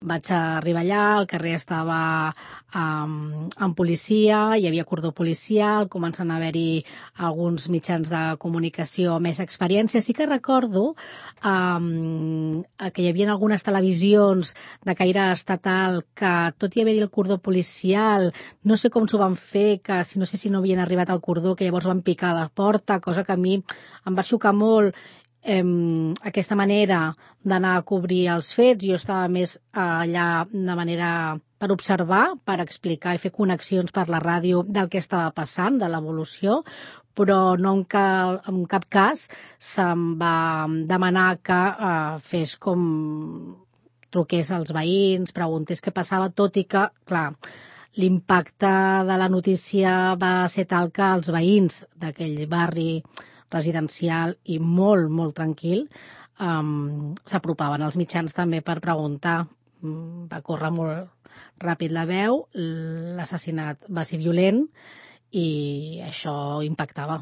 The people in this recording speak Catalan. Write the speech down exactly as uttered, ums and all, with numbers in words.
Vaig arribar allà, el carrer estava um, amb policia, hi havia cordó policial, comencen a haver-hi alguns mitjans de comunicació amb més experiència. Sí que recordo um, que hi havia algunes televisions de caire estatal que, tot i haver-hi el cordó policial, no sé com s'ho van fer, que si no sé si no havien arribat al cordó, que llavors van picar a la porta, cosa que a mi em va xocar molt, eh, aquesta manera d'anar a cobrir els fets. Jo estava més allà de manera per observar, per explicar i fer connexions per la ràdio del que estava passant, de l'evolució, però no en, cal, en cap cas se'm va demanar que eh, fes com truqués als veïns, preguntés què passava, tot i que, clar, l'impacte de la notícia va ser tal que els veïns d'aquell barri residencial i molt, molt tranquil um, s'apropaven als mitjans també per preguntar. Va córrer molt ràpid la veu, l'assassinat va ser violent i això impactava.